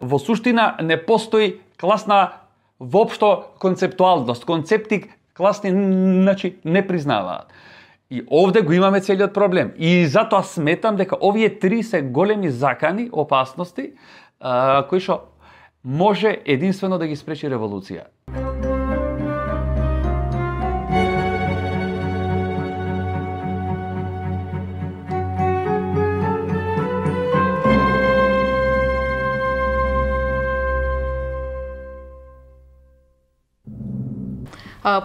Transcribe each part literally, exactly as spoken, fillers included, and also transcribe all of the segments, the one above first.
Во суштина не постои класна воопшто концептуалност, концепти класни значи не признаваат. И овде го имаме целиот проблем. И затоа сметам дека овие три се големи закани, опасности, а, кои што може единствено да ги спречи револуција.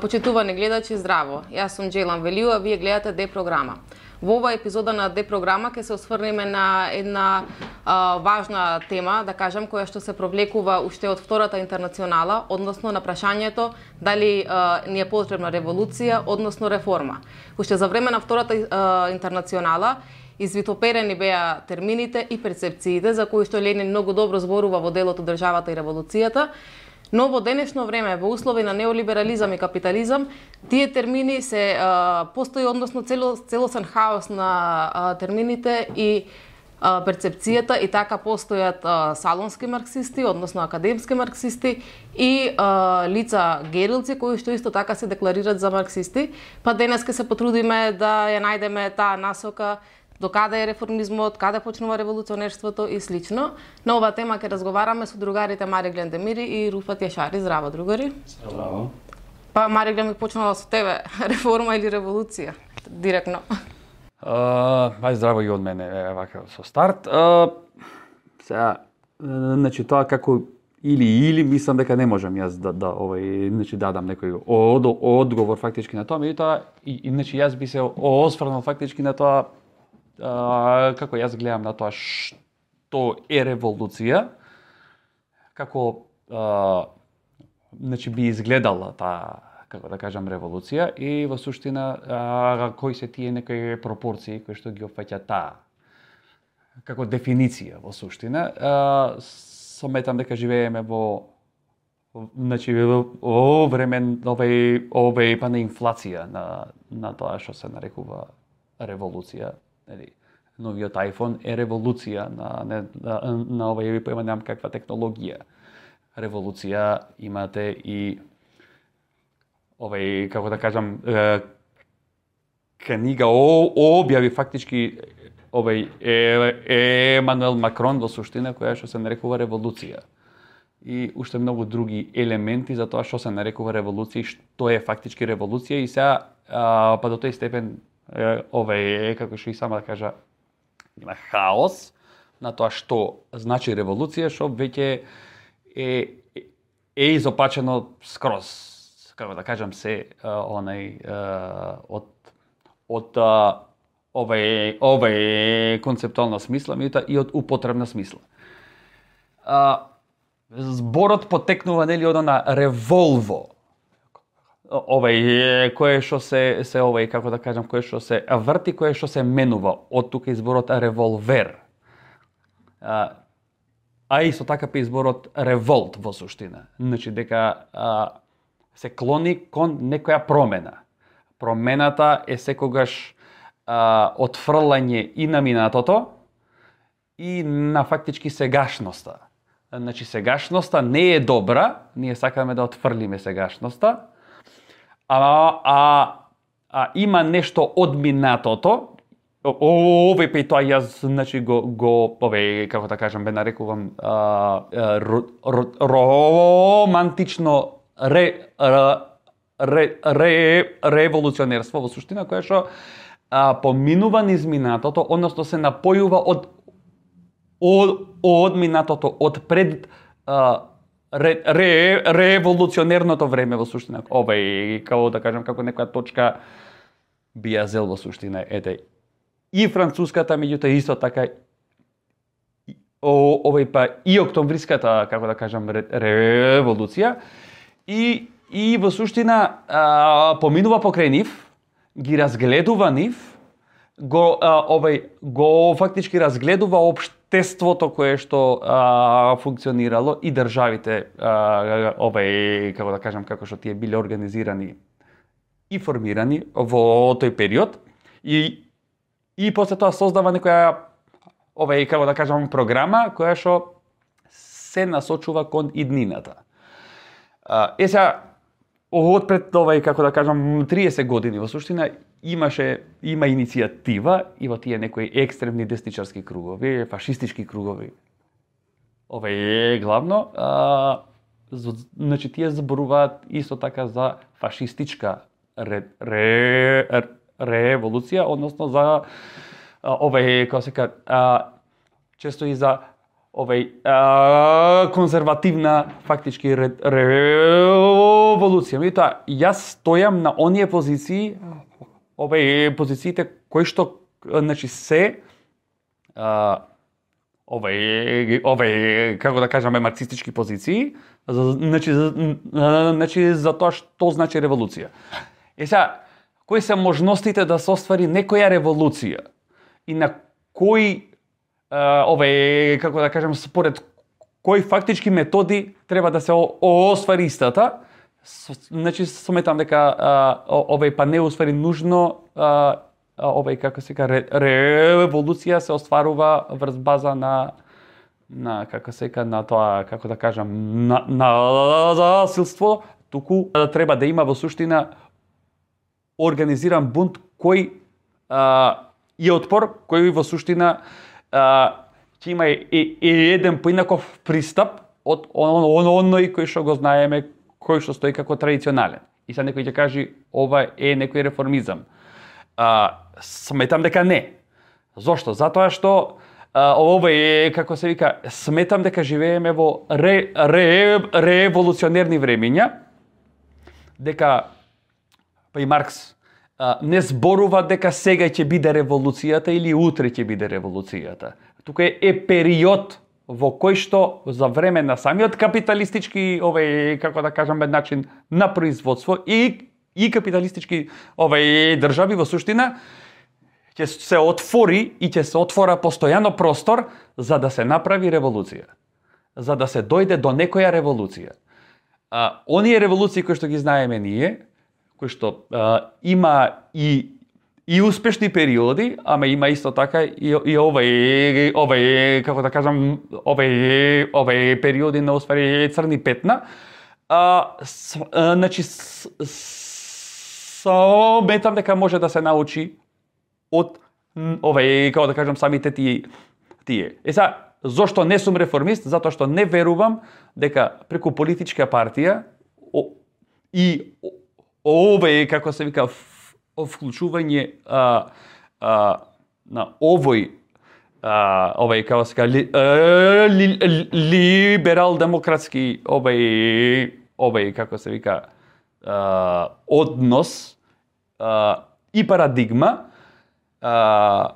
Почитувани гледачи, здраво! Јас сум Джелан Велио, вие гледате Д програма. Во оваа епизода на Д програма ќе се осврнеме на една а, важна тема, да кажам, која што се провлекува уште од Втората интернационала, односно на прашањето дали а, ни е потребна револуција, односно реформа. Уште за време на Втората а, интернационала извитоперени беа термините и перцепциите за кои што Ленин многу добро зборува во делото Државата и револуцијата. Но во денешно време, во услови на неолиберализам и капитализам, тие термини се а, постои, односно цело, целосен хаос на а, термините и а, перцепцијата, и така постојат а, салонски марксисти, односно академски марксисти и а, лица герилци кои што исто така се декларираат за марксисти. Па денес ке се потрудиме да ја најдеме таа насока, до каде е реформизмот, каде почнува револуционерството и слично. На оваа тема ќе разговараме со другарите Мари Глендемири и Руфат Јашари. Здраво, другари. Здраво. Па Мари Глен, ми почнала со тебе. Реформа или револуција? Директно. Uh, ај здраво и од мене, е, вака со старт. Uh, сега, значи тоа како или или мислам дека не можам јас да да овај значи дадам некој од, одговор фактички на тоа, меѓутоа и, и значи јас би се осврнал фактички на тоа. Uh, како јас гледам на тоа што е револуција, како uh, значи би изгледала таа, како да кажам, револуција и во суштина uh, кои се тие некои пропорции кои што ги опфаќа таа како дефиниција во суштина. Uh, сометам дека живееме во значи во време овој овој па на инфлација на на тоа што се нарекува револуција. Новиот iPhone е револуција на, на, на, на овај поема, немам каква технологија. Револуција имате и овај, како да кажам, е, книга о, објави фактички овај е, Емануел Макрон во суштина, која што се нарекува револуција. И уште многу други елементи за тоа што се нарекува револуција и што е фактички револуција. И сега, а, па до тој степен, овај, како што и сама да кажа, има хаос на тоа што значи револуција, што веќе е, е, е изопачено скроз, како да кажам, се онај од од овај овај концептуална смисла, меѓутоа и од употребна смисла. А, зборот потекнува нели од на револво, овај кое што се се овај, како да кажам, кое што се врти, кое што се менува, од тука изборот револвер. А, а исто така па изборот револт во суштина. Значи дека а, се клони кон некоја промена. Промената е секогаш а, отфрлање и на минатото и на фактички сегашноста. Значи сегашноста не е добра, ние сакаме да отфрлиме сегашноста, А, а, а има нешто од минатото, овој па и тоа јас значи го го овој, како да кажам, бе нарекувам а, ро, ро, романтично ре, ре, ре, револуционерство во суштина, која што поминува низ минатото, односно се напојува од од, од минатото, од пред а, Ре, ре, револуционерното време во суштина. Овај, како да кажам, како некоја точка би ја зел во суштина. Ете, и француската, меѓутоа исто така о, овај па и октомвриската, како да кажам, ре, револуција. И, и во суштина а, поминува покрај нив, ги разгледува нив, го а, овај го фактички разгледува општеството кое што а, функционирало и државите а, овај, како да кажам, како што тие биле организирани и формирани во тој период и и после тоа создава некоја овај, како да кажам, програма која што се насочува кон иднината. Е сега, од пред овај, како да кажам, триесет години во суштина имаше има иницијатива и во тие некои екстремни десничарски кругови, фашистички кругови. Ова е главно, а, значи тие зборуваат исто така за фашистичка ре, ре, револуција, односно за овај, како се кажа, често и за овај а, конзервативна фактички ре, револуција. Меѓутоа, јас стојам на оние позиции, овај позициите кои што значи се а, овај овај како да кажеме марксистички позиции, значи значи за тоа што значи револуција. Е сега, кои се можностите да се оствари некоја револуција и на кои овај како да кажем според кои фактички методи треба да се оствари истата, значи сметам дека овај па не оствари нужно овај како се ка револуција се остварува врз база на на како се ка на тоа како да кажам на насилство, туку треба да има во суштина организиран бунт кој а, и отпор кој во суштина а, ќе има и, и еден поинаков пристап од оној кој што го знаеме, кој што стои како традиционален. И сега некој ќе каже ова е некој реформизам. А, сметам дека не. Зошто? Затоа што а, ова е, како се вика, сметам дека живееме во ре, ре, револуционерни времиња, дека па и Маркс а, не зборува дека сега ќе биде револуцијата или утре ќе биде револуцијата. Тука е, е период во кој што за време на самиот капиталистички, овај, како да кажам, начин на производство и и капиталистички овај држави во суштина ќе се отвори и ќе се отвора постојано простор за да се направи револуција, за да се дојде до некоја револуција. А, оние револуции кои што ги знаеме ние, кои што а, има и и успешни периоди, ама има исто така и, и овај овај како да кажам овај овај периоди на уствари црни петна. А, с, а значи сметам дека може да се научи од овај како да кажам самите тие тие. Е сега, зошто не сум реформист? Затоа што не верувам дека преку политичка партија о, и овај како се вика вклучување а, а, на овој а, овај како се вика ли, ли, либерал-демократски овај овај како се вика а, однос а, и парадигма а,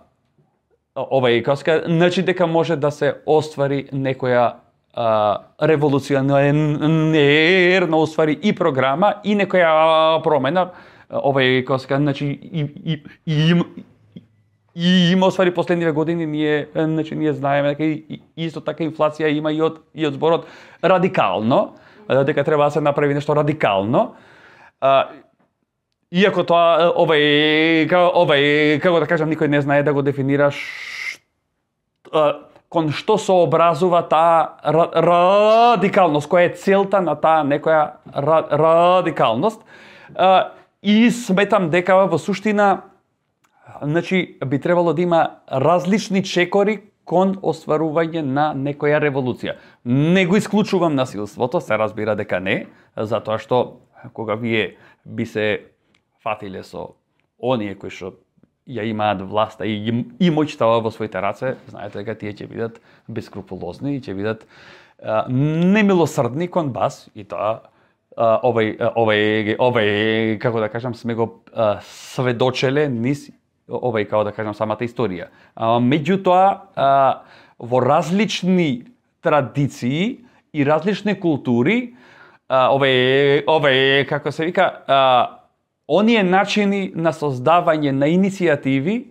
овај како се вика значи дека може да се оствари некоја а, револуционерна оствари и програма и некоја промена. Овај како се кажа, значи и и и и има оствари последниве години ние значи ние знаеме дека и, исто така инфлација има и од и од зборот радикално, дека треба да се направи нешто радикално. А, иако тоа овај овај како да кажам никој не знае да го дефинираш кон што се образува таа радикалност, која е целта на таа некоја радикалност. И сметам дека во суштина значи би требало да има различни чекори кон остварување на некоја револуција. Не го исклучувам насилството, се разбира дека не, затоа што кога вие би се фатиле со оние кои што ја имаат власта и, и моќтава во своите раце, знаете дека тие ќе бидат бескрупулозни и ќе бидат а, немилосрдни кон вас и тоа Uh, овај, овај, овај, како да кажам, сме го uh, сведочеле низ овај, како да кажам, самата историја. Uh, меѓутоа, uh, во различни традиции и различни култури, uh, овај, овај, како се вика, uh, оние начини на создавање на иницијативи,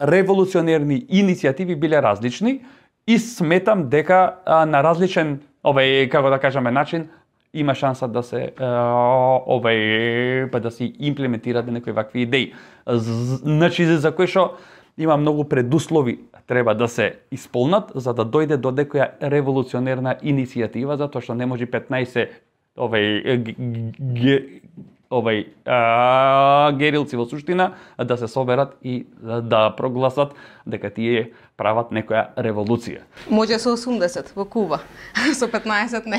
револуционерни иницијативи биле различни и сметам дека uh, на различен, овај, како да кажаме, начин, има шанса да се овај па да се имплементираат некои вакви идеи. Значи за кои што има многу предуслови треба да се исполнат за да дојде до некоја револуционерна иницијатива, затоа што не може петнаесет овај овај а, герилци во суштина да се соберат и да, да прогласат дека тие прават некоја револуција. Може со осумдесет во Куба, со петнаесет не.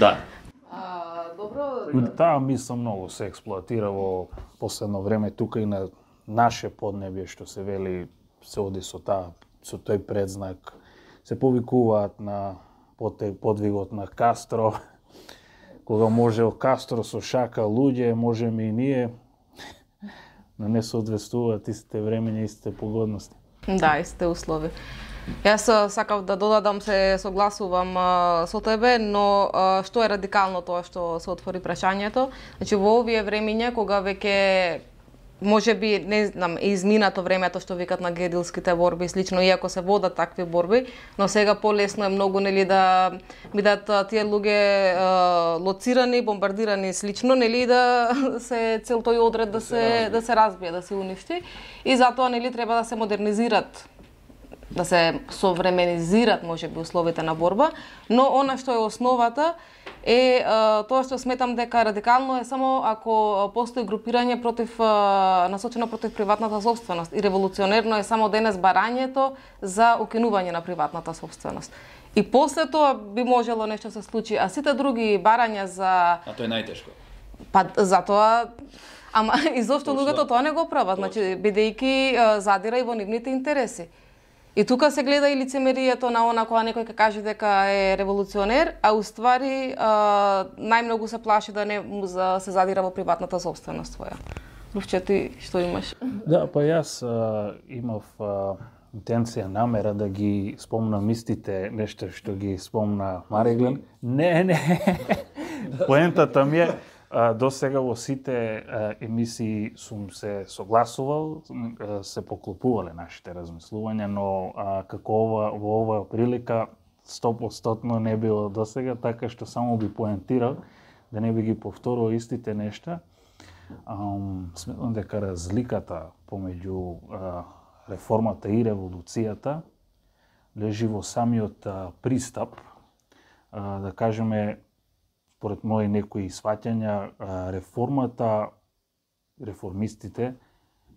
Да. А, добро. Таа мисла многу се експлоатира во последно време тука и на наше поднебје, што се вели се оди со таа со тој предзнак, се повикуваат на подвигот на Кастро. Кога можел Кастро со шака луѓе, можеме и ние, но не соодветствуваат истите времења, истите погодности. Да, истите услови. Јас сакав да додадам, се согласувам а, со тебе, но а, што е радикално тоа што се отвори прашањето? Значи во овие времиња кога веќе може би, не знам, е изминато времето што викат на герилските борби и слично, иако се водат такви борби, но сега полесно е многу, нели, да бидат тие луѓе а, лоцирани, бомбардирани и слично, нели, да се цел тој одред да се да се разбие, да се уништи, и затоа, нели, треба да се модернизират, да се современизират можеби условите на борба, но она што е основата е а, тоа што сметам дека радикално е само ако постои групирање против а, насочено против приватната сопственост, и револуционерно е само денес барањето за укинување на приватната сопственост. И после тоа би можело нешто се случи, а сите други барања за А тоа е најтешко. Па затоа, ама и зошто луѓето тоа не го прават, значи бидејќи а, задира и во нивните интереси. И тука се гледа и лицемерието на она кога некој ќе каже дека е револуционер, а уствари а, најмногу се плаши да не за, се задира во приватната сопственост своја. Лувче, ти што имаш? Да, па јас а, имав а, интенција, намера да ги спомнам истите нешто што ги спомна Мариглен. Не, не. Поентата ми е, А, до сега во сите а, емисии сум се согласувал, а, се поклопувале нашите размислувања, но а, како ова, во оваа прилика сто проценти не било до сега, така што само би поентирал, да не би ги повторувал истите нешта. Um, сметам дека разликата помеѓу а, реформата и револуцијата лежи во самиот а, пристап, а, да кажеме, според мои некои сваќања, реформата, реформистите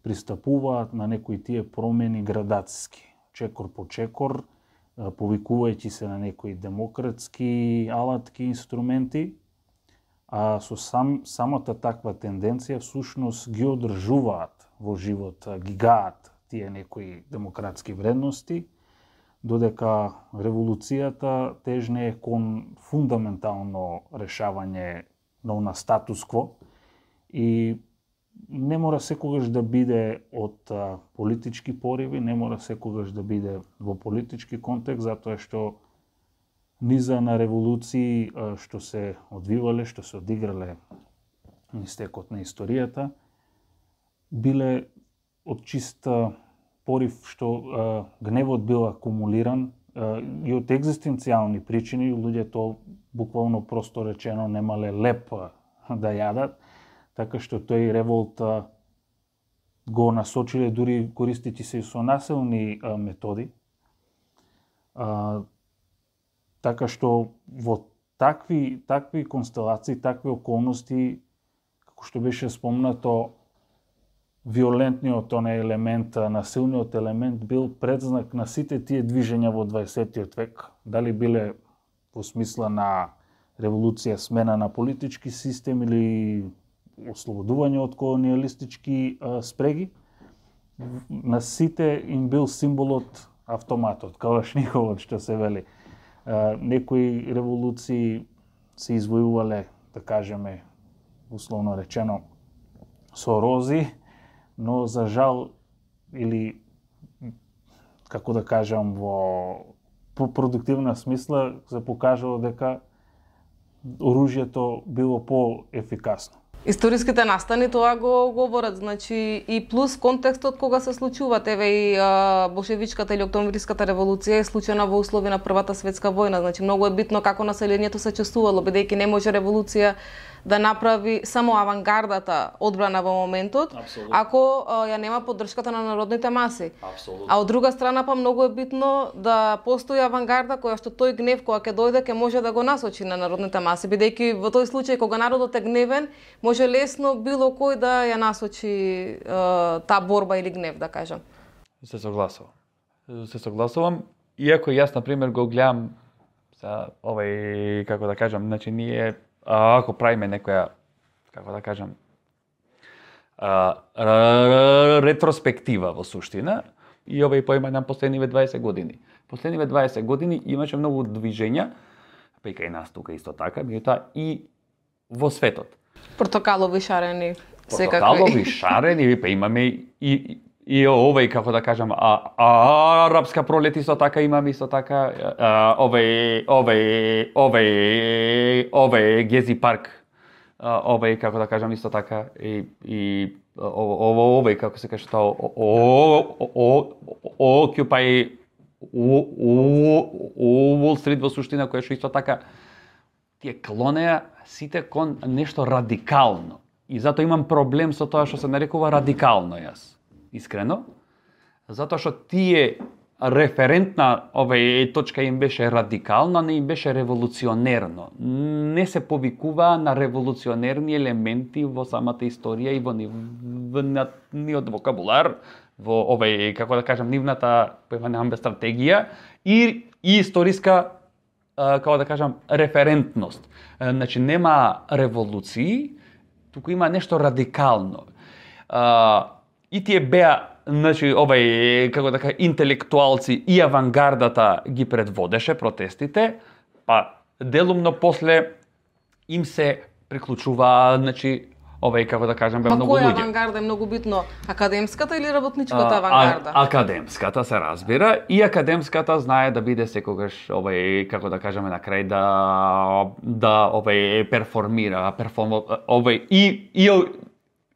пристапуваат на некои тие промени градациски, чекор по чекор, повикувајќи се на некои демократски алатки, инструменти, а со сам, самата таква тенденција всушност ги одржуваат во живот, ги гаат тие некои демократски вредности, додека револуцијата тежне кон фундаментално решавање на статус-кво и не мора секогаш да биде од а, политички пориви, не мора секогаш да биде во политички контекст, затоа што низа на револуции а, што се одвивале, што се одиграле низ текот на историјата, биле од чиста порив што а, гневот бил акумулиран а, и од екзистенцијални причини, луѓето буквално просто речено немале леп да јадат, така што тој револт а, го насочиле дури користејќи се и со насилни а, методи. А, така што во такви такви констелации, такви околности, како што беше спомнато, виолентниот оне елемент, насилниот елемент бил предзнак на сите тие движења во дваесеттиот век. Дали биле во смисла на револуција, смена на политички систем или ослободување од колониалистички а, спреги, на сите им бил символот автоматот, калашниковот што се вели. А, некои револуции се извојувале, да кажеме, условно речено, со рози, но за жал, или како да кажам, во продуктивна смисла се покажало дека оружјето било по-ефикасно. Историските настани тоа го говорат, значи и плюс контекстот кога се случуваат, еве и а, болшевичката или октомвриската револуција е случена во услови на Првата светска војна, значи многу е битно како населението се чувствувало, бидејќи не може револуција да направи само авангардата одбрана во моментот, Апсолутно. ако а, ја нема поддршката на народните маси. Апсолутно. А од друга страна па многу е битно да постои авангарда која што тој гнев кога ќе дојде ќе може да го насочи на народните маси, бидејќи во тој случај кога народот е гневен, може лесно било кој да ја насочи а, таа борба или гнев, да кажам. Се согласувам. Се согласувам, иако јас на пример го гледам за овај, како да кажам, значи ние а, ако правиме некоја, како да кажам, а, ретроспектива во суштина, и овај поима на последниве дваесет години. Последниве дваесет години имаше многу движења, па и кај нас тука исто така, меѓутоа и во светот. Портокалови шарени, секакви. Портокалови шарени, па имаме и, и, и овај, како да кажам, а, а, арапска пролет исто така имаме исто така, а, овај, овај, овај, овај Гези парк, а, овај, како да кажам, исто така, и, и ово, овај, како се каже тоа, Occupy Wall Street во суштина, која што исто така тие клонеа сите кон нешто радикално. И затоа имам проблем со тоа што се нарекува радикално јас. Искрено. Затоа што тие референтна овај точка им беше радикална, не им беше револуционерно. Не се повикуваа на револуционерни елементи во самата историја и во нивниот вокабулар, во овај, како да кажам, нивната поиманата стратегија и, и историска, како да кажам, референтност. Значи нема револуции, туку има нешто радикално. И тие беа, значи, овај, како да кажа, интелектуалци и авангардата ги предводеше протестите, па делумно после им се приклучува, значи, овај, како да кажам, бе Па многу која луѓе. авангарда е многу битно? Академската или работничката А, авангарда? а, академската се разбира и академската знае да биде секогаш овај, како да кажеме на крај, да да овај перформира, перформ овај и и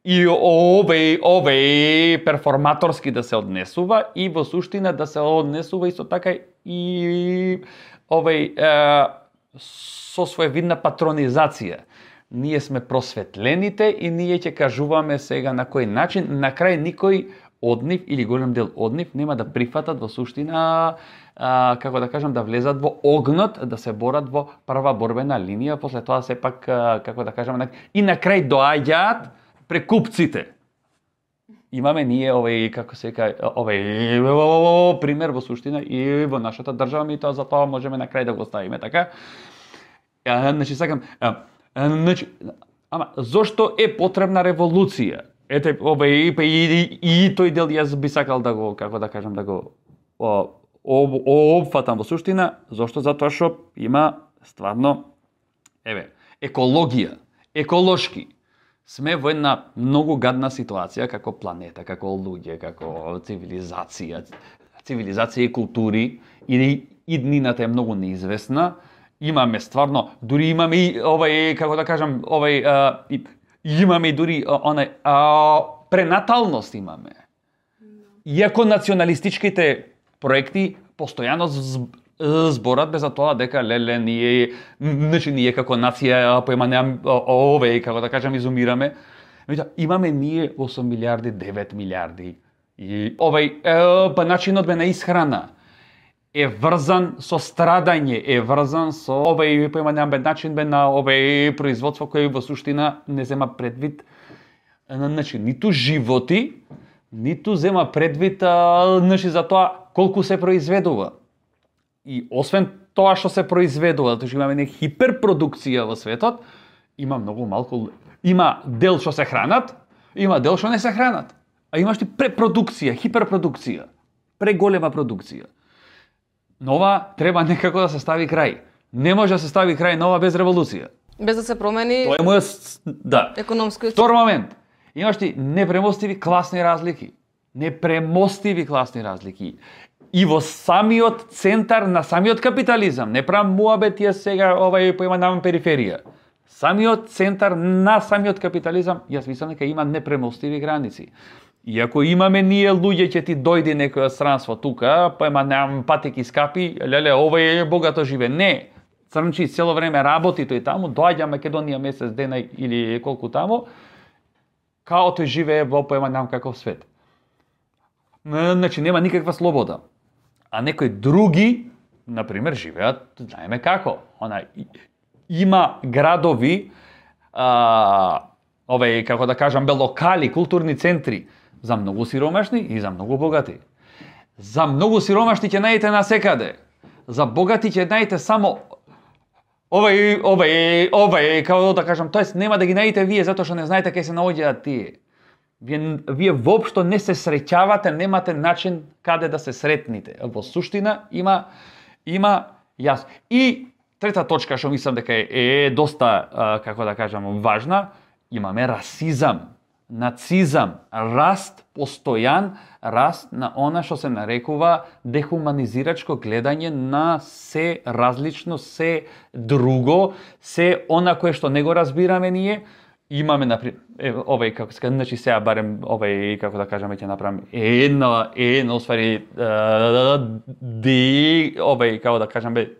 и овај овај перформаторски да се однесува и во суштина да се однесува исто така и овај е, со своевидна патронизација. Ние сме просветлените и ние ќе кажуваме сега на кој начин. На крај никој од нив или голем дел од нив нема да прифатат во суштина, а, како да кажам, да влезат во огнот, да се борат во прва борбена линија, после тоа сепак, а, како да кажам, и на крај доаѓаат прекупците. Имаме ние овај, како се вика, овај пример во суштина и во нашата држава, и тоа за тоа можеме на крај да го ставиме, така? А, значи сакам, а, значи, ама зошто е потребна револуција? Ете, овај и, и, и тој дел јас би сакал да го, како да кажам, да го о, об, обфатам во суштина, зошто? Затоа што има стварно, еве, екологија, еколошки. Сме во една многу гадна ситуација како планета, како луѓе, како цивилизација, цивилизација и култури, и иднината е многу неизвестна. Имаме стварно, дури имаме и овај, како да кажам, овај, а, и, имаме и дури онај а, пренаталност имаме. Иако националистичките проекти постојано зборат без за тоа дека леле ние, значи ние како нација поимаме овај, како да кажам, изумираме. Имаме ние осум милиарди, девет милиарди. И овај е, па начинот бе на исхрана е врзан со страдање, е врзан со овај поимањам начин бе на овај производство кој во суштина не зема предвид, значи ниту животи, ниту зема предвид, а, значи за тоа колку се произведува. И освен тоа што се произведува, затоа што имаме не хиперпродукција во светот, има многу малку, има дел што се хранат, има дел што не се хранат. А имаш ти препродукција, хиперпродукција, преголема продукција. Нова треба некако да се стави крај. Не може да се стави крај нова без револуција. Без да се промени Тоа е мојот, да. економски. Втор момент. Имаш ти непремостиви класни разлики. Непремостиви класни разлики. И во самиот центар на самиот капитализам, не правам муабет ја сега овај поимањам периферија. Самиот центар на самиот капитализам, јас мислам дека има непремостиви граници. Иако имаме ние луѓе, ќе ти дојде некој странство тука, па ема неам патеки скапи, леле, овој е богато живе. Не, црнчи цело време работи тој таму, доаѓа Македонија месец дена или колку таму, као тој живее во поема нам каков свет. Значи нема никаква слобода. А некои други, например, живеат, знаеме како. Она има градови, а, овај, како да кажам, бе локали, културни центри за многу сиромашни и за многу богати. За многу сиромашни ќе најдете насекаде. За богати ќе најдете само овај, овај, овај, како да кажам, тоест нема да ги најдете вие затоа што не знаете кај се наоѓаат тие. Вие, вие воопшто не се среќавате, немате начин каде да се сретните. Во суштина има има јас. И трета точка што мислам дека е, е доста, како да кажам, важна, имаме расизам, нацизам, раст, постојан раст на она што се нарекува дехуманизирачко гледање на се различно, се друго, се она кое што не го разбираме ние. Имаме, например, овај, како се значи сега барем овај, како да кажеме, ќе направам една, една, освари, ди, овај, како да кажам, бе,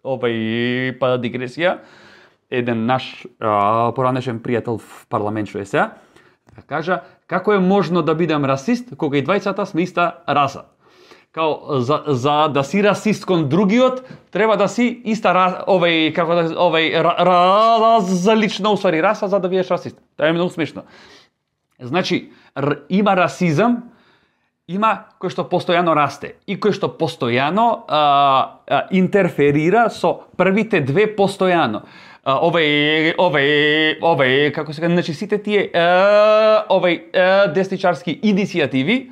овај, па дигресија, еден наш поранешен пријател в парламент што е сега, кажа, како е можно да бидам расист, кога и двајцата сме иста раса. Као, за, за да си расист кон другиот, треба да си иста раса, овај, како да, овај, различна, усвари, раса, за да бидеш расист. Тоа е многу смешно. Значи, р, има расизам, има кој што постојано расте и кој што постојано а, а, интерферира со првите две постојано. А, овај, овај, овај, како се кажа, значи сите тие а, овај а, десничарски иницијативи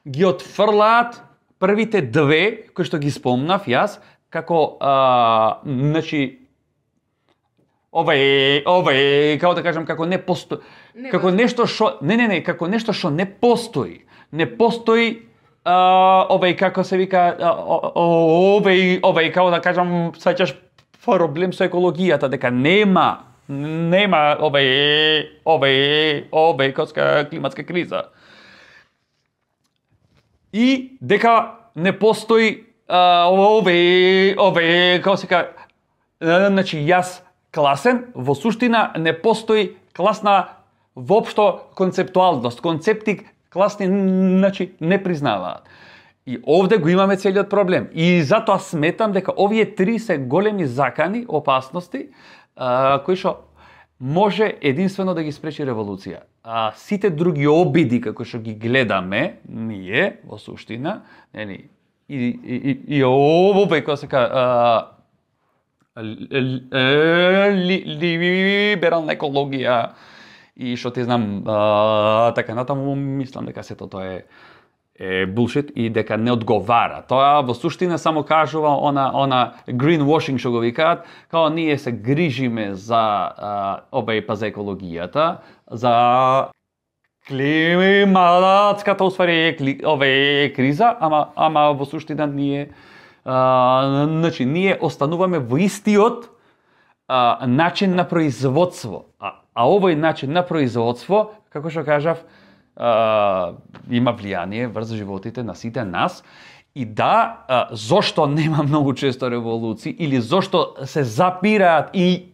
ги отфрлаат првите две кои што ги спомнав јас, како а, значи овај, овај, како да кажам, како не постои, како нешто што, не, не, не, како нешто што не постои. Не постои а, овај, како се вика, а, овај, овај, како да кажам, саќаш проблем со екологијата, дека нема, нема овај, овај, овај, коска климатска криза. И дека не постои овај, овај, како се ка, значи јас класен, во суштина не постои класна воопшто концептуалност, концепти класни, значи, не признаваат. И овде го имаме целиот проблем. И затоа сметам дека овие три се големи закани, опасности, а, кои што може единствено да ги спречи револуција. А сите други обиди како што ги гледаме ние во суштина, нели, и и и, и овој кој се ка либерална екологија и што ти знам, а, така натаму, мислам дека сето тоа е е булшит и дека не одговара. Тоа во суштина само кажува она она greenwashing што го викаат, као ние се грижиме за а, овај па за екологијата, за климатската усвари овај криза, ама ама во суштина ние а, значи ние остануваме во истиот а, начин на производство. А, а овој начин на производство, како што кажав, Uh, има влијание врз животите на сите нас и да, uh, зошто нема многу често револуции или зошто се запираат и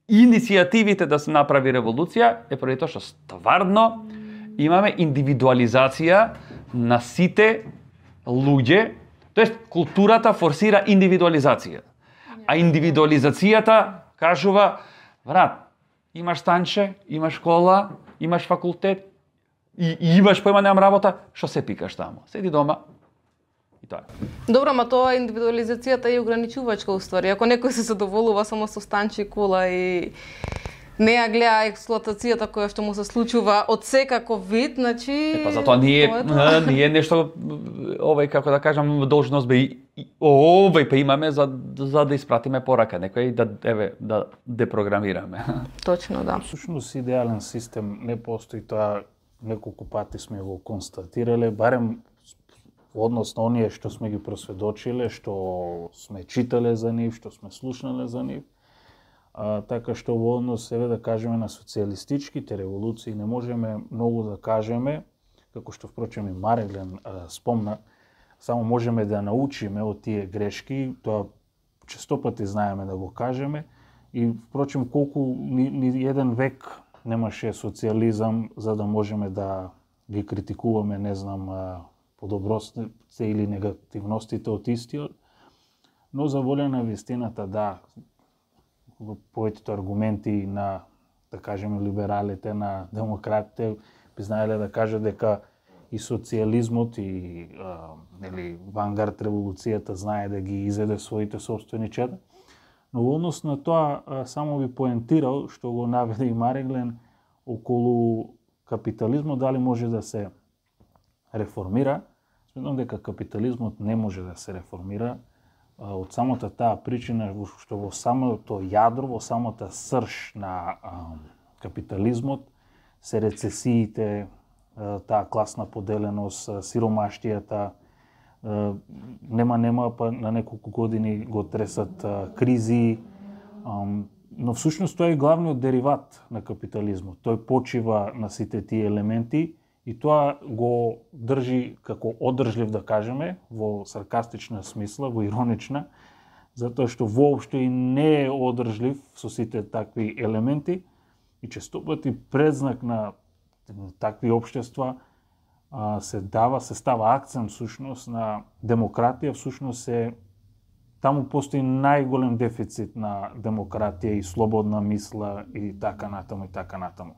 иницијативите да се направи револуција, е поради тоа што стварно имаме индивидуализација на сите луѓе, тоест културата форсира индивидуализација. А индивидуализацијата кажува, брат, имаш станче, имаш школа, имаш факултет, И, и имаш појма немам работа, што се пикаш таму? Седи дома и тоа. Добро, ма тоа индивидуализацијата е ограничувачка уствари. Ако некој се задоволува само со станче и кола и не ја гледа експлоатацијата која што му се случува од секаков вид, значи е, па затоа ние тоа ние нешто овај, како да кажам, должност бе овај па имаме за за да испратиме порака некој да еве да депрограмираме. Точно, да. Всушност идеален систем не постои, тоа неколку пати сме го констатирале, барем во однос на оние што сме ги просведочиле, што сме читале за нив, што сме слушнале за нив. А, така што во однос, еве да кажеме, на социјалистичките револуции не можеме многу да кажеме, како што впрочем и Мареглен а, спомна, само можеме да научиме од тие грешки, тоа често пати знаеме да го кажеме, и впрочем колку ни, ни еден век немаше социализам за да можеме да ги критикуваме, не знам, подобростите или негативностите од истиот, но за воля на вистината, да, поетите аргументи на, да кажеме, либералите, на демократите, би знаеле да кажат дека и социализмот и а, нели, вангард револуцијата знае да ги изеде своите собствени чеда. Но во однос на тоа, а, само би поентирал, што го наведе и Мареглен, околу капитализмот, дали може да се реформира. Сметам дека капитализмот не може да се реформира а, од самата таа причина што во самото јадро, во самата срж на а, капитализмот се рецесиите, таа класна поделеност, сиромаштијата, нема нема па на неколку години го тресат кризи, но всушност тоа е главниот дериват на капитализмот. Тој почива на сите тие елементи и тоа го држи како одржлив, да кажеме, во саркастична смисла, во иронична, затоа што воопшто и не е одржлив со сите такви елементи и често пати предзнак на такви општества а, се дава, се става акцент всушност на демократија, всушност се таму постои најголем дефицит на демократија и слободна мисла и така натаму и така натаму.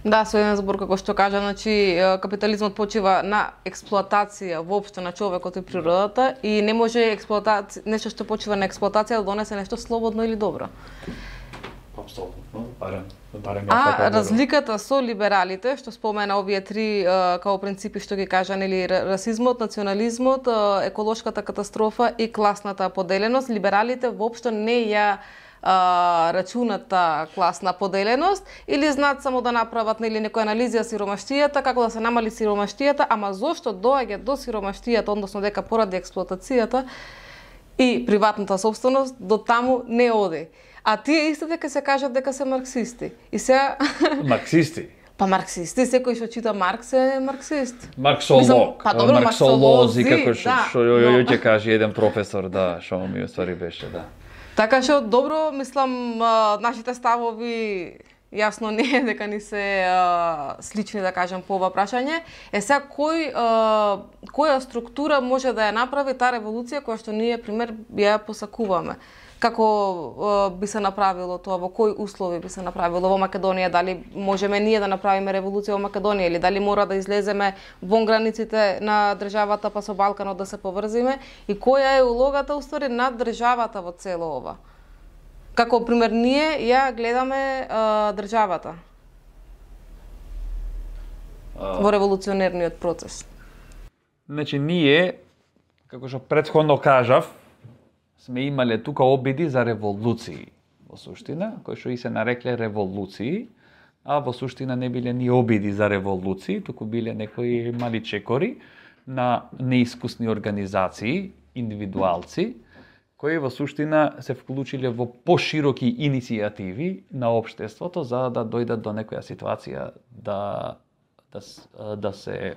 Да, со еден збор како што кажа, значи капитализмот почива на експлоатација воопшто на човекот и природата и не може експлоатација, нешто што почива на експлоатација да донесе нешто слободно или добро. Апсолутно, барем, барем А така разликата со либералите, што спомена овие три као принципи што ги кажа, нели, расизмот, национализмот, еколошката катастрофа и класната поделеност, либералите воопшто не ја а, рачуната класна поделеност или знаат само да направат, нели, некоја анализија сиромаштијата, како да се намали сиромаштијата, ама зошто доаѓа до сиромаштијата, односно дека поради експлоатацијата и приватната собственост, до таму не оди. А тие истите ке се кажат дека се марксисти. И сега марксисти. Па марксисти, секој што чита Маркс е марксист. Марксолог, па добро, марксолози, како што да, што ја ќе каже еден професор, да, што ми уствари беше, да. Така што добро, мислам, нашите ставови јасно не е дека ни се а, слични, да кажем, по ова прашање. Е сега кој а, која структура може да ја направи таа револуција која што ние пример ја посакуваме? Како а, би се направило тоа, во кои услови би се направило во Македонија, дали можеме ние да направиме револуција во Македонија или дали мора да излеземе вон границите на државата па со Балканот да се поврзиме и која е улогата уствари на државата во цело ова? Како пример ние ја гледаме а, државата а... во револуционерниот процес. Значи ние, како што претходно кажав, сме имале тука обиди за револуции во суштина, кои што и се нарекле револуции, а во суштина не биле ни обиди за револуции, туку биле некои мали чекори на неискусни организации, индивидуалци, кои во суштина се вклучиле во пошироки иницијативи на општеството за да дојдат до некоја ситуација да, да, да се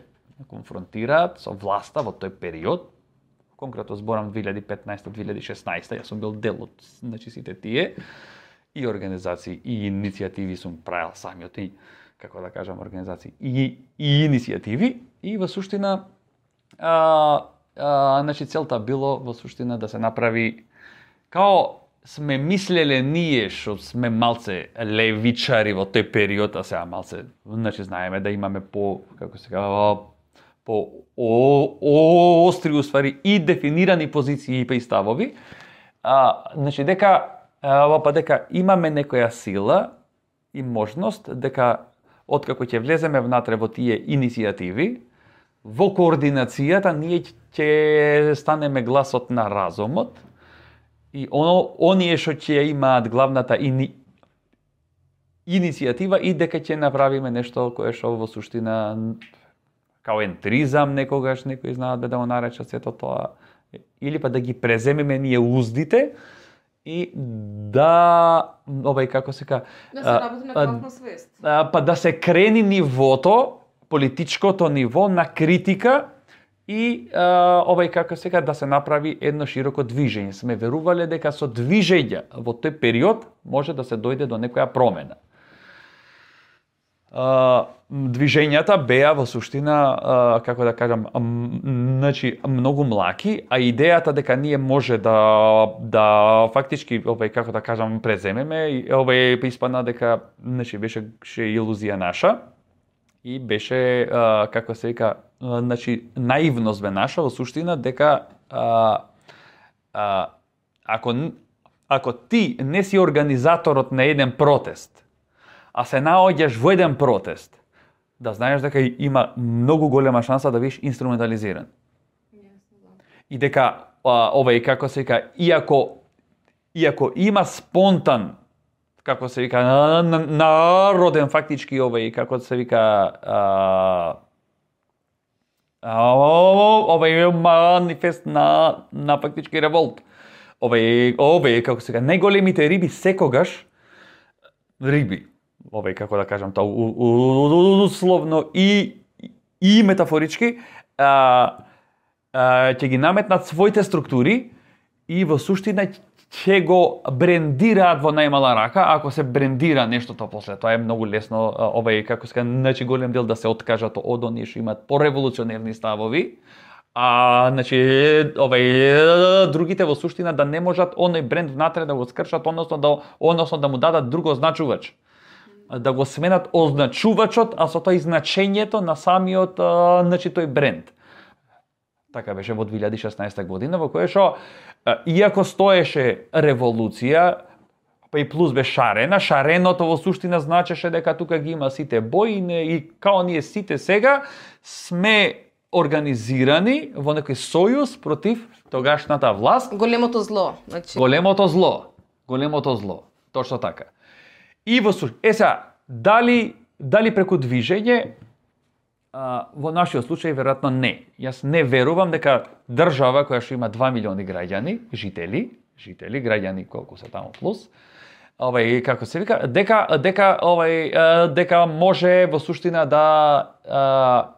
конфронтираат со власта во тој период. Конкретно зборам две илјади и петнаесета - две илјади и шеснаесета, јас сум бил дел од, значи, сите тие и организации и иницијативи сум правил самиот и, како да кажам, организации и, и иницијативи и во суштина а, а, значи целта било во суштина да се направи као сме мислеле ние што сме малце левичари во тој период, а сега малце, значи знаеме да имаме по, како се кажа, по о, о, остри уствари и дефинирани позиции и ставови, а, значи дека а, па дека имаме некоја сила и можност дека откако ќе влеземе внатре во тие иницијативи, во координацијата ние ќе станеме гласот на разумот и оно оние што ќе имаат главната ини, иницијатива и дека ќе направиме нешто кое што во суштина као ентризам некогаш некои знаат да го наречат сето тоа, или па да ги преземеме ние уздите и да, овај како се ка, да се работи на класна свест. Па да се крени нивото, политичкото ниво на критика и а, овај како сега да се направи едно широко движење. Сме верувале дека со движење во тој период може да се дојде до некоја промена. Uh, движењата беа во суштина, uh, како да кажам, um, значи многу млаки, а идејата дека ние може да да фактички овај како да кажам преземеме, овај испадна дека значи беше ше илузија наша и беше uh, како се вика, uh, значи наивност бе наша во суштина дека uh, uh, ако ако ти не си организаторот на еден протест, а се наоѓаш во еден протест, да знаеш дека има многу голема шанса да бидеш инструментализиран. И дека а, овај како се вика, иако иако има спонтан, како се вика, народен фактички овај како се вика а, овај манифест на на фактички револт. Овај овај како се вика, најголемите риби секогаш риби. Овај како да кажам тоа условно и и метафорички а, а, ќе ги наметнат своите структури и во суштина ќе го брендираат во најмала рака. Ако се брендира нештото после тоа е многу лесно, овај како се значи голем дел да се откажат од оние што имаат пореволуционерни ставови. А, значи, овај другите во суштина да не можат оној бренд внатре да го скршат, односно да односно да му дадат друг означувач. Да го сменат означувачот, а со тоа и значењето на самиот а, значи тој бренд. Така беше во две илјади и шеснаесета година, во која што иако стоеше револуција, па и плюс бе шарена, шареното во суштина значеше дека тука ги има сите бои и као ние сите сега сме организирани во некој сојуз против тогашната власт. Големото зло, значи. Големото зло. Големото зло. Точно така. И во суштина, е сега, дали дали преку движење, а, во нашиот случај веројатно не. Јас не верувам дека држава која што има два милиони граѓани, жители, жители, граѓани колку се таму плюс, овај како се вика, дека дека овај дека може во суштина да а,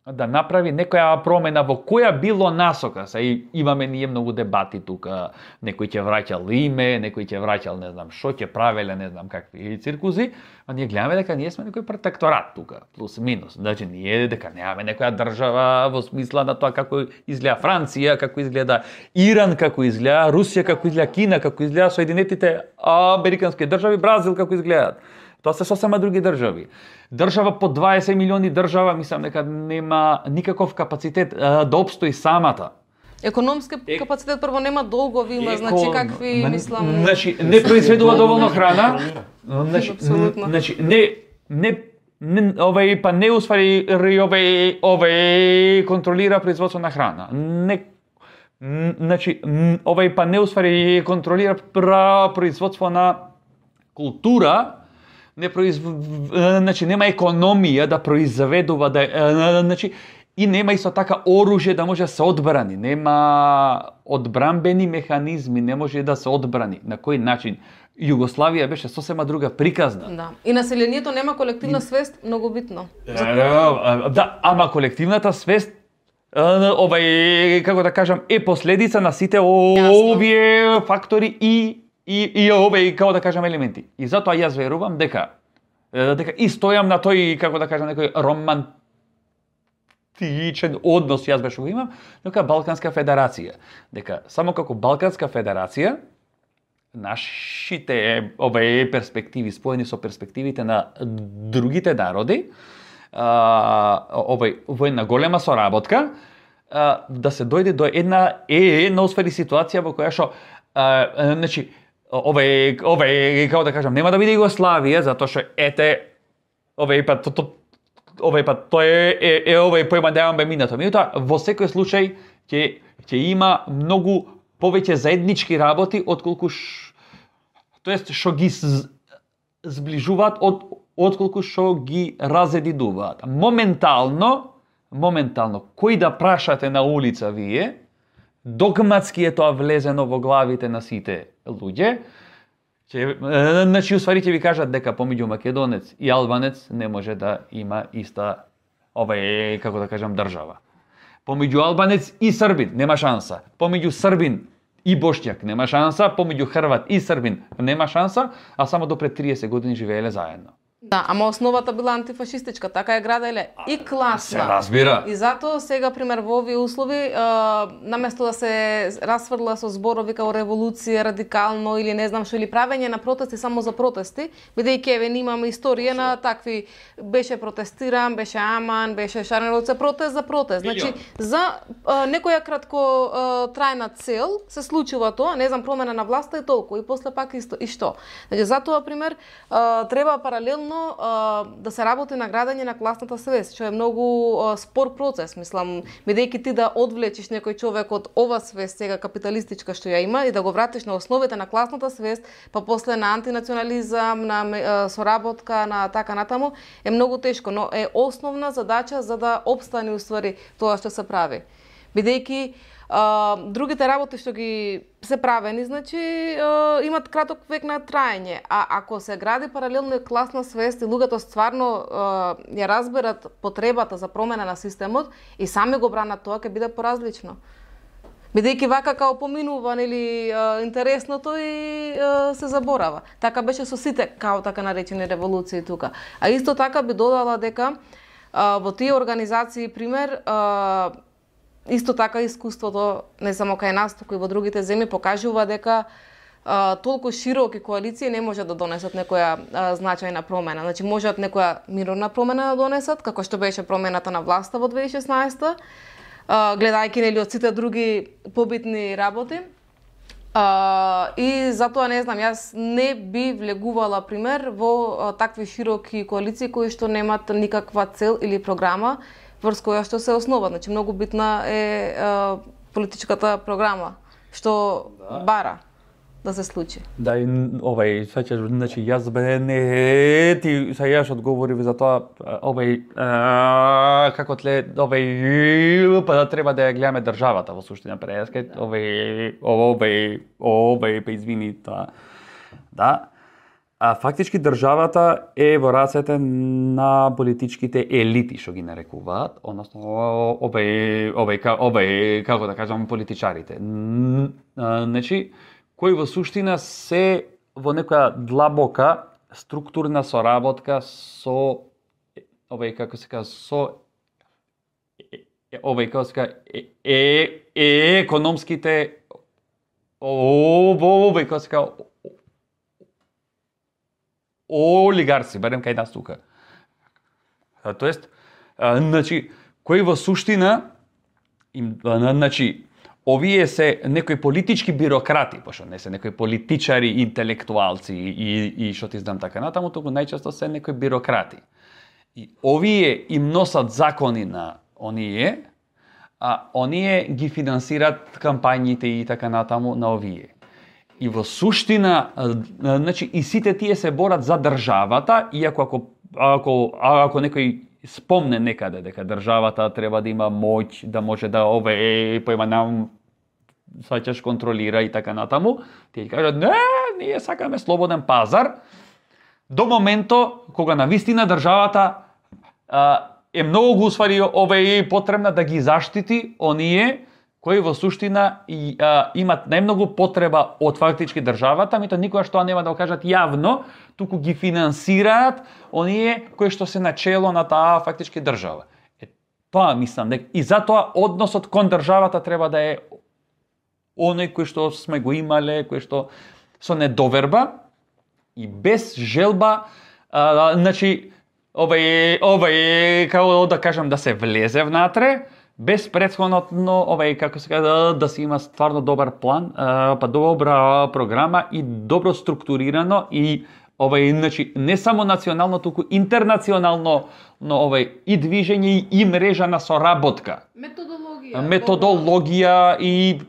да направи некоја промена во која било насока. Се имаме ние многу дебати тука, некој ќе враќал име, некој ќе враќал не знам што, ќе правеле не знам какви циркузи, а ние гледаме дека ние сме некој протекторат тука, плюс минус. Значи ние дека немаме некоја држава во смисла на тоа како изгледа Франција, како изгледа Иран, како изгледа Русија, како изгледа Кина, како изгледа Соединетите Американски држави, Бразил како изгледаат. Тоа се сосема други држави. Држава по дваесет милиони држава, мислам дека нема никаков капацитет а, да опстои самата. Економски е... капацитет прво нема долгови, има, Еко... значи какви, мислам... Значи, не произведува доволно храна, значи, значи не, не, не, овај, па не усвари, овај, овај, контролира производство на храна. Не, значи, овај, па не усвари, контролира производство на култура, не произв... значи нема економија да произведува, да значи и нема исто така оружје да може да се одбрани, нема одбранбени механизми, не може да се одбрани. На кој начин? Југославија беше сосема друга приказна. Да. И населението нема колективна свест, многу битно. Да, ама колективната свест овај како да кажам е последица на сите овие фактори и И, и овие, како да кажам, елементи. И затоа јас верувам дека дека и стојам на тој, како да кажам, некој романтичен однос јас беше го имам, дека Балканска федерација. Дека само како Балканска федерација нашите овие перспективи споени со перспективите на другите народи, овој во една голема соработка, да се дојде до една е една освари ситуација во која што значи овај, овај, како да кажам, нема да биде Југославија, затоа што ете, овај пат, то, овај пат, тоа е, е, е овај појма да бе минато. Меѓутоа, во секој случај ќе ќе има многу повеќе заеднички работи отколку ш... тоест што ги зближуваат од отколку што ги разединуваат. Моментално, моментално кој да прашате на улица вие, догматски е тоа влезено во главите на сите луѓе, че, значи, усвари ќе ви кажат дека помеѓу македонец и албанец не може да има иста, овај, како да кажам, држава. Помеѓу албанец и србин нема шанса. Помеѓу србин и боšnjak нема шанса, помеѓу хрват и србин нема шанса, а само до пред триесет години живееле заедно. Да, ама основата била антифашистичка, така е граделе и класна. Се разбира. И затоа сега, пример, во овие услови, а, наместо да се расфрла со зборови као револуција, радикално или не знам што, или правење на протести само за протести, бидејќи еве имаме историја на такви, беше протестиран, беше аман, беше шарен ролце, протест за протест. Значи, за а, некоја кратко а, трајна цел се случува тоа, не знам, промена на власта и толку, и после пак исто, и што. Значи, затоа, пример, а, треба паралелно да се работи на градење на класната свест, што е многу спор процес, мислам, бидејќи ти да одвлечиш некој човек од ова свест сега капиталистичка што ја има и да го вратиш на основите на класната свест, па после на антинационализам, на соработка, на така натаму, е многу тешко, но е основна задача за да обстане уствари тоа што се прави. Бидејќи Uh, другите работи што ги се правени, значи, uh, имат краток век на траење. А ако се гради паралелно и класна свест и луѓето стварно uh, ја разберат потребата за промена на системот и сами го бранат тоа, ќе биде поразлично. Бидејќи вака као поминува или uh, интересното и uh, се заборава. Така беше со сите као така наречени револуции тука. А исто така би додала дека uh, во тие организации, пример, uh, исто така искуството, не само кај нас, туку и во другите земји, покажува дека а, толку широки коалиции не можат да донесат некоја а, значајна промена. Значи, можат некоја мирна промена да донесат, како што беше промената на власта во две тисячи и шеснаесета, а, гледајќи нели од сите други побитни работи. А, и затоа, не знам, јас не би влегувала, пример, во а, такви широки коалиции кои што немат никаква цел или програма, врз која што се основа. Значи, многу битна е, е политичката програма, што да. бара да се случи. Да, и овај, свеќаш, значи, јас бе не ти са јаш одговори за тоа, овај, а, како тле, овај, па да треба да ја гледаме државата во суштина преска, овај, овај, овај, па извини тоа. Да. А фактички државата е во рацете на политичките елити, што ги нарекуваат, односно овај, овај, овај, како да кажам, политичарите. Значи, кои во суштина се во некоја длабока структурна соработка со овај, како се кажа, со овај, како се кажа, е, е, е економските овај, како се кажа, олигарси, барем кај нас тука. Тоест, значи, кои во суштина, им, значи, овие се некои политички бюрократи, пошто не се некои политичари, интелектуалци и, и што ти знам така натаму, туку најчесто се некои бюрократи. И овие им носат закони на оние, а оние ги финансират кампањите и така натаму на овие. И во суштина, значи, и сите тие се борат за државата, иако ако, ако, ако некој спомне некаде дека државата треба да има моќ, да може да ове, поема нам, сваќаш, контролира и така натаму, тие кажат, не, ние сакаме слободен пазар, до моментот кога навистина државата а, е многу усвари ове потребна да ги заштити оние кои во суштина и, а, имат најмногу потреба од фактички државата, мито никоја што нема да го кажат јавно, туку ги финансираат оние кои што се начело на таа фактички држава. Е, тоа мислам, дека и затоа односот кон државата треба да е оној кој што сме го имале, кој што со недоверба и без желба, а, значи, овај, овај, како да кажам, да се влезе внатре, без претходно, овај, како се кажа, да се има стварно добар план, па добра програма и добро структурирано и овај, значи, не само национално, туку интернационално, но овај и движење и мрежа на соработка. Методологија. Методологија и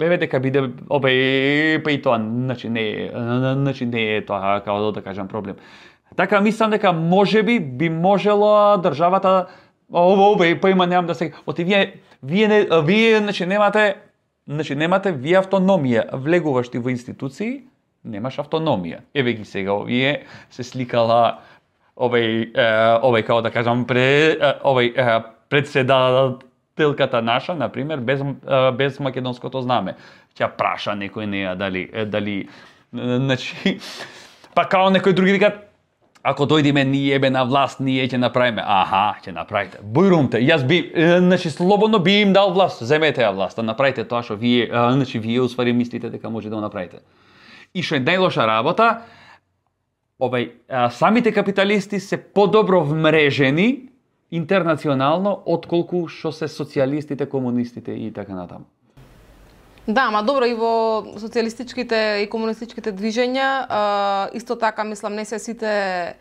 еве дека биде овај, па и тоа, значи не е, значи не е тоа, како да кажам, проблем. Така мислам дека можеби би можело државата Ово, ове, па има немам да се... Оти вие, вие, не, вие, значи, немате, значи, немате вие автономија. Влегуваш ти во институции, немаш автономија. Еве ги сега, овие се сликала, овој, овој, како да кажам, пре, овој, председател телката наша, на пример, без без македонското знаме. Ќе праша некој неа дали дали значи па као некои други викаат ако дојдеме ние бе на власт, ние ќе направиме. Аха, ќе направите. Бујрумте. Јас би значи слободно би им дал власт. Земете ја власта, направите тоа што вие значи вие усвари мислите дека може да го направите. И што е најлоша работа, овај самите капиталисти се подобро вмрежени интернационално отколку што се социјалистите, комунистите и така натаму. Да, ма добро, и во социјалистичките и комунистичките движења, а, исто така, мислам, не се сите...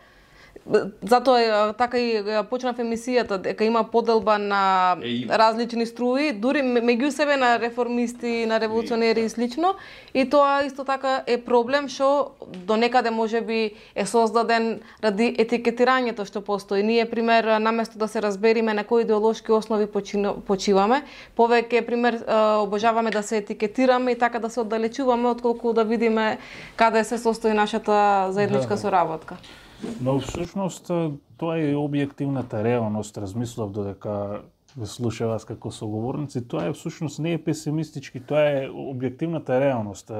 Затоа така и почнав емисијата, дека има поделба на различни струи, дури меѓу себе на реформисти, на револуционери и слично, и тоа исто така е проблем што до некаде можеби е создаден ради етикетирањето што постои. Ние, пример, наместо да се разбериме на кои идеолошки основи почиваме, повеќе, пример, обожаваме да се етикетираме и така да се оддалечуваме, отколку да видиме каде се состои нашата заедничка соработка. Но всушност тоа е објективната реалност, размислав додека ве слушав вас како соговорници, тоа е всушност не е песимистички, тоа е објективната реалност.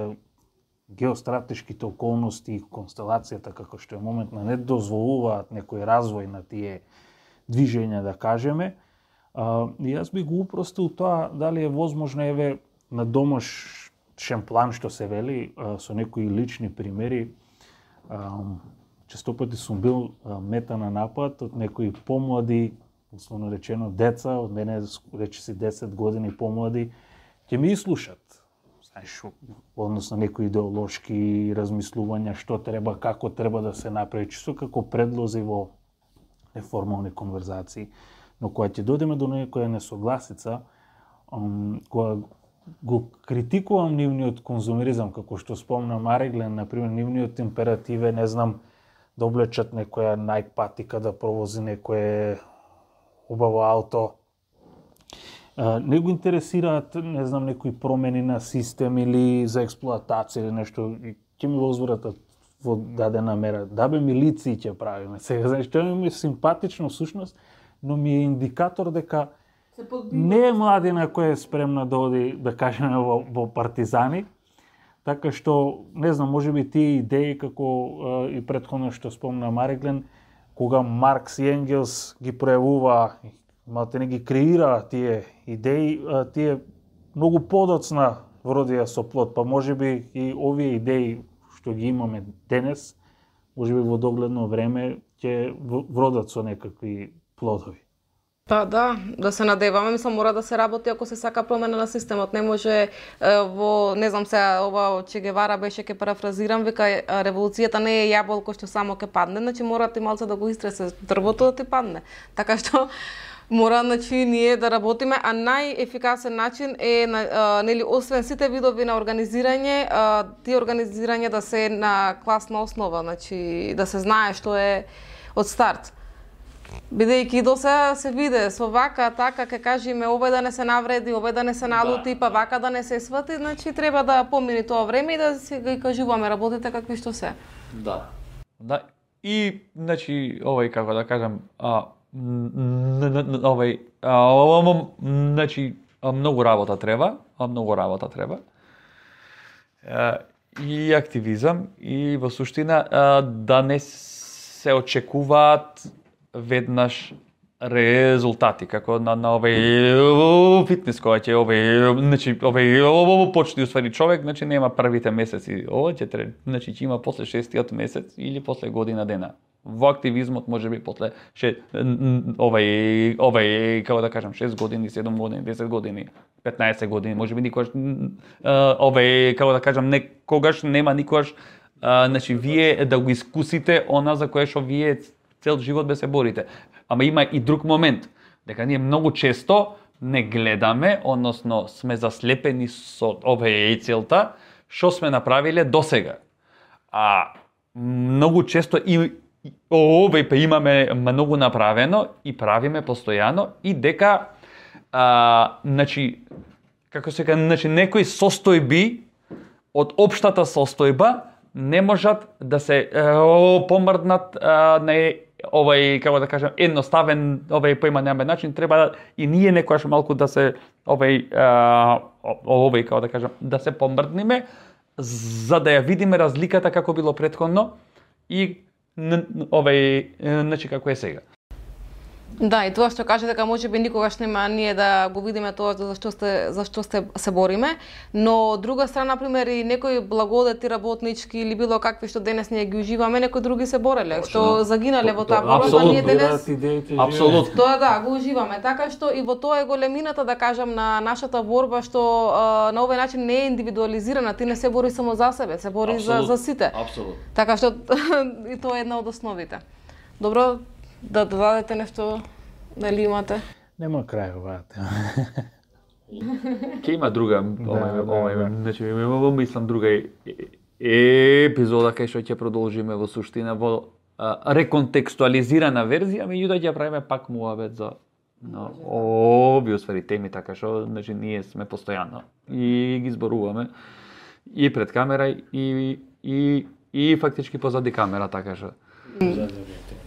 Геостратешките околности и констелацијата како што е моментно не дозволуваат некој развој на тие движења, да кажеме. И јас би го упростил тоа дали е возможно еве на домашен план што се вели со некои лични примери. Често пати сум бил мета на напад од некои помлади, условно речено деца, од мене рече си десет години помлади, ќе ми слушат. Знаеш, односно некои идеолошки размислувања, што треба, како треба да се направи, чисто како предлози во неформални конверзации. Но кога ќе дојдеме до некоја несогласица, кога го критикувам нивниот конзумеризам, како што спомна Мариглен, например, нивниот императив е, не знам, да облечат некоја Nike патика, да провози некое убаво ауто. Не го интересираат, не знам, некои промени на систем или за експлоатација или нешто. Ќе ми возвратат во дадена мера. Да бе, милиции ќе правиме. Сега, знаеш, тоа ми е симпатично всушност, но ми е индикатор дека не е младина која е спремна да оди, да кажеме, во, во партизани. Така што, не знам, може би тие идеи, како и претходно што спомна Мариглен, кога Маркс и Енгелс ги пројавува, малте не ги креира тие идеи, тие многу подоцна вродија со плод, па може би и овие идеи што ги имаме денес, може би во догледно време ќе вродат со некакви плодови. Па да, да се надеваме, мислам мора да се работи ако се сака промена на системот. Не може е, во, не знам сега, ова Че Гевара беше, ке парафразирам, вика револуцијата не е јаболко што само ке падне, значи мора ти малце да го истресе дрвото да ти падне. Така што мора, значи, ние да работиме, а најефикасен начин е, а, нели, освен сите видови на организирање, а, тие организирање да се на класна основа, значи да се знае што е од старт. Бидејќи до сега се виде со вака, така, ке кажеме овој да не се навреди, овој да не се налути, да. Па вака да не се свати, значи треба да помини тоа време и да си ги кажуваме работите какви што се. Да. Да. И, значи, овој, како да кажам, а, овој, значи, многу работа треба, многу работа треба. И активизам, и во суштина да не се очекуваат веднаш резултати, како на, на овој фитнес, која ќе овој, значи, овој почне уствари човек, значи нема првите месеци, ово ќе треба, значи ќе има после шестиот месец или после година дена. Во активизмот може би после ше, овој, овој, како да кажам, шест години, седум години, десет години, петнаесет години, може би никогаш, овој, како да кажам, некогаш нема никогаш, значи вие да го искусите она за кое што вие цел живот бе се борите. Ама има и друг момент, дека ние многу често не гледаме, односно сме заслепени со оваа целта, што сме направиле досега. А многу често и овој па имаме многу направено и правиме постојано и дека а, значи како се кажа, значи некои состојби од општата состојба не можат да се е, помрднат е, на овај, како да кажам, едноставен, овај поимањамен начин, треба и ние некојаш малку да се овај а, овај како да кажам, да се помрдниме за да ја видиме разликата како било претходно и овај значи како е сега. Да, и тоа што каже дека можеби никогаш нема ние да го видиме тоа за што сте за што сте се бориме, но од друга страна на пример и некои благодати работнички или било какви што денес ние ги уживаме, некои други се бореле, што загинале во таа борба, па ние денес апсолутно тоа да го уживаме. Така што и во тоа е големината да кажам на нашата борба што а, на овој начин не е индивидуализирана, ти не се бори само за себе, се бори за за сите. Апсолутно. Така што и тоа е една од основите. Добро, да додадете нешто, дали имате? Нема крај оваа тема. Ке има друга, Да, овај, да, овај, да. значи, мислам друга е- е- епизода кај што ќе продолжиме во суштина во а, реконтекстуализирана верзија, меѓутоа ќе правиме пак муабет за на овие усвари теми, така што значи ние сме постојано и ги зборуваме и пред камера и и и фактички позади камера, така што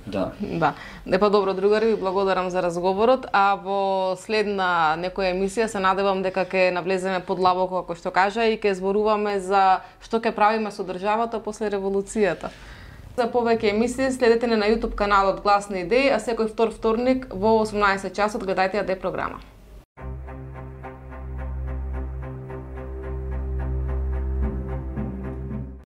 да. Да. Не па добро, другари, ви благодарам за разговорот, а во следна некоја емисија се надевам дека ќе навлеземе подлабоко, како што кажа, и ќе зборуваме за што ќе правиме со државата после револуцијата. За повеќе емисии следете не на YouTube каналот Гласни идеи, а секој втор вторник во осумнаесет часот гледајте ја де програма.